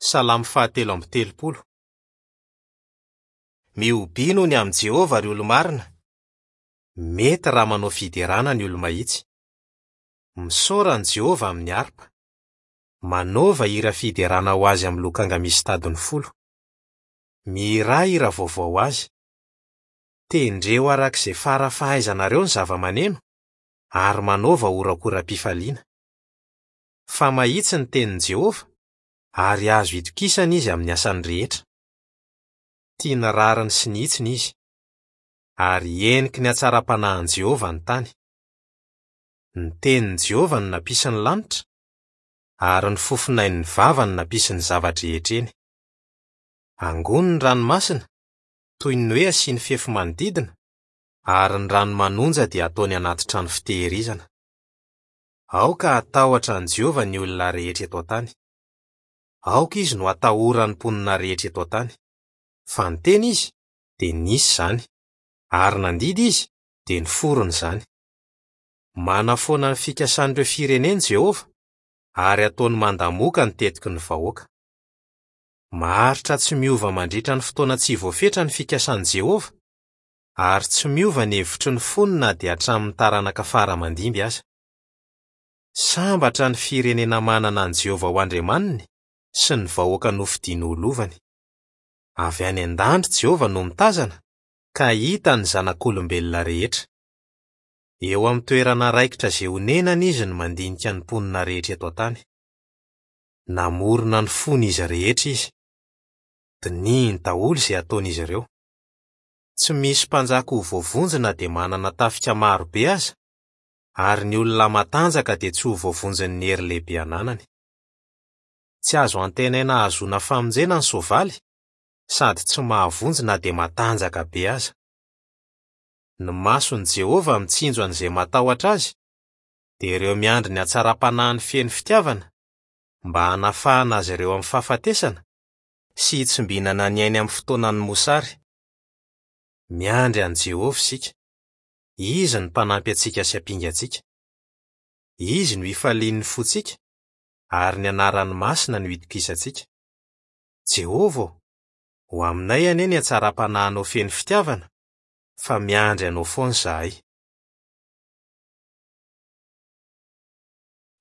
Salamo fahatelo amby telopolo. Mihobia noho ny amin'i Jehovah, ry olo-marina. Mety raha manao fiderana ny olo-mahitsy. Misaora an'i Jehovah amin'ny harpa. Manaova hira fiderana ho azy amin'ny lokanga misy tadiny folo. Mihirà hira vaovao ho azy. Tendreo araka izay fara fahaizanareo ny zava-maneno, ary manaova horakora-pifaliana. Fa mahitsy ny tenin'i Jehovah, ary azo itokisana izy amin'ny asany rehetra. Tia ny rariny sy ny hitsiny izy. Ary heniky ny hatsaram-panahin'i Jehovah ny tany. Ny tenin'i Jehovah no nampisy ny lanitra, ary ny fofonain'ny vavany nampisy ny zava-drehetra eny. Angony ny ranomasina, toy ny hoe asiany fefy manodidina, ary ny rano manonja dia ataony anaty trano fitehirizana. Aoka hatahotra an'i Jehovah ny olona rehetra eto an-tany. Aoka izy no hatahoran'ny mponina rehetra eto an-tany. Fa niteny izy, dia nisy izany, ary nandidy izy, dia niforona izany. Manafoana ny fikasan'ireo firenena i Jehovah, ary ataony mandamoka ny tetiky ny vahoaka. Maharitra tsy miova mandritra ny fotoana tsy voafetra ny fikasan'i Jehovah, ary tsy miova ny hevitry ny fony na dia hatramin'ny taranaka fara aman-dimby aza. Sambatra ny firenena manana an'i Jehovah ho Andriamaniny sy ny vahoaka nofidiny ho lovany. Avy any an-danitra Jehovah no mitazana, ka hita ny zanak'olombelona rehetra. Eo amin'ny toerana raikitra izay onenany izy no mandinika ny mponina rehetra eto an-tany. Namorona ny fon'izy rehetra izy. Dinihiny daholo izay ataon'izy ireo. Tsy misy mpanjaka ho voavonjy na dia manana tafika maro be aza, ary ny olona matanjaka dia tsy ho voavonjin'ny hery lehibe ananany. Tsy azo antenaina hahazoana famonjena ny soavaly, sady tsy mahavonjy na dia matanjaka be aza. Ny mason'i Jehovah mitsinjo an'izay matahotra azy, dia ireo miandry ny hatsaram-panahiny feno fitiavana, mba hanafahana azy ireo amin'ny fahafatesana sy hitsimbinana ny ainy amin'ny fotoanan'ny mosary. Miandry an'i Jehovah isika. Izy no Mpanampy antsika sy Ampingantsika. Izy no ifalian'ny fontsika, ary ny anarany masina no itokisantsika. Jehovah ô, ho aminay anie ny hatsaram-panahinao feno fitiavana, fa miandry anao foana izahay.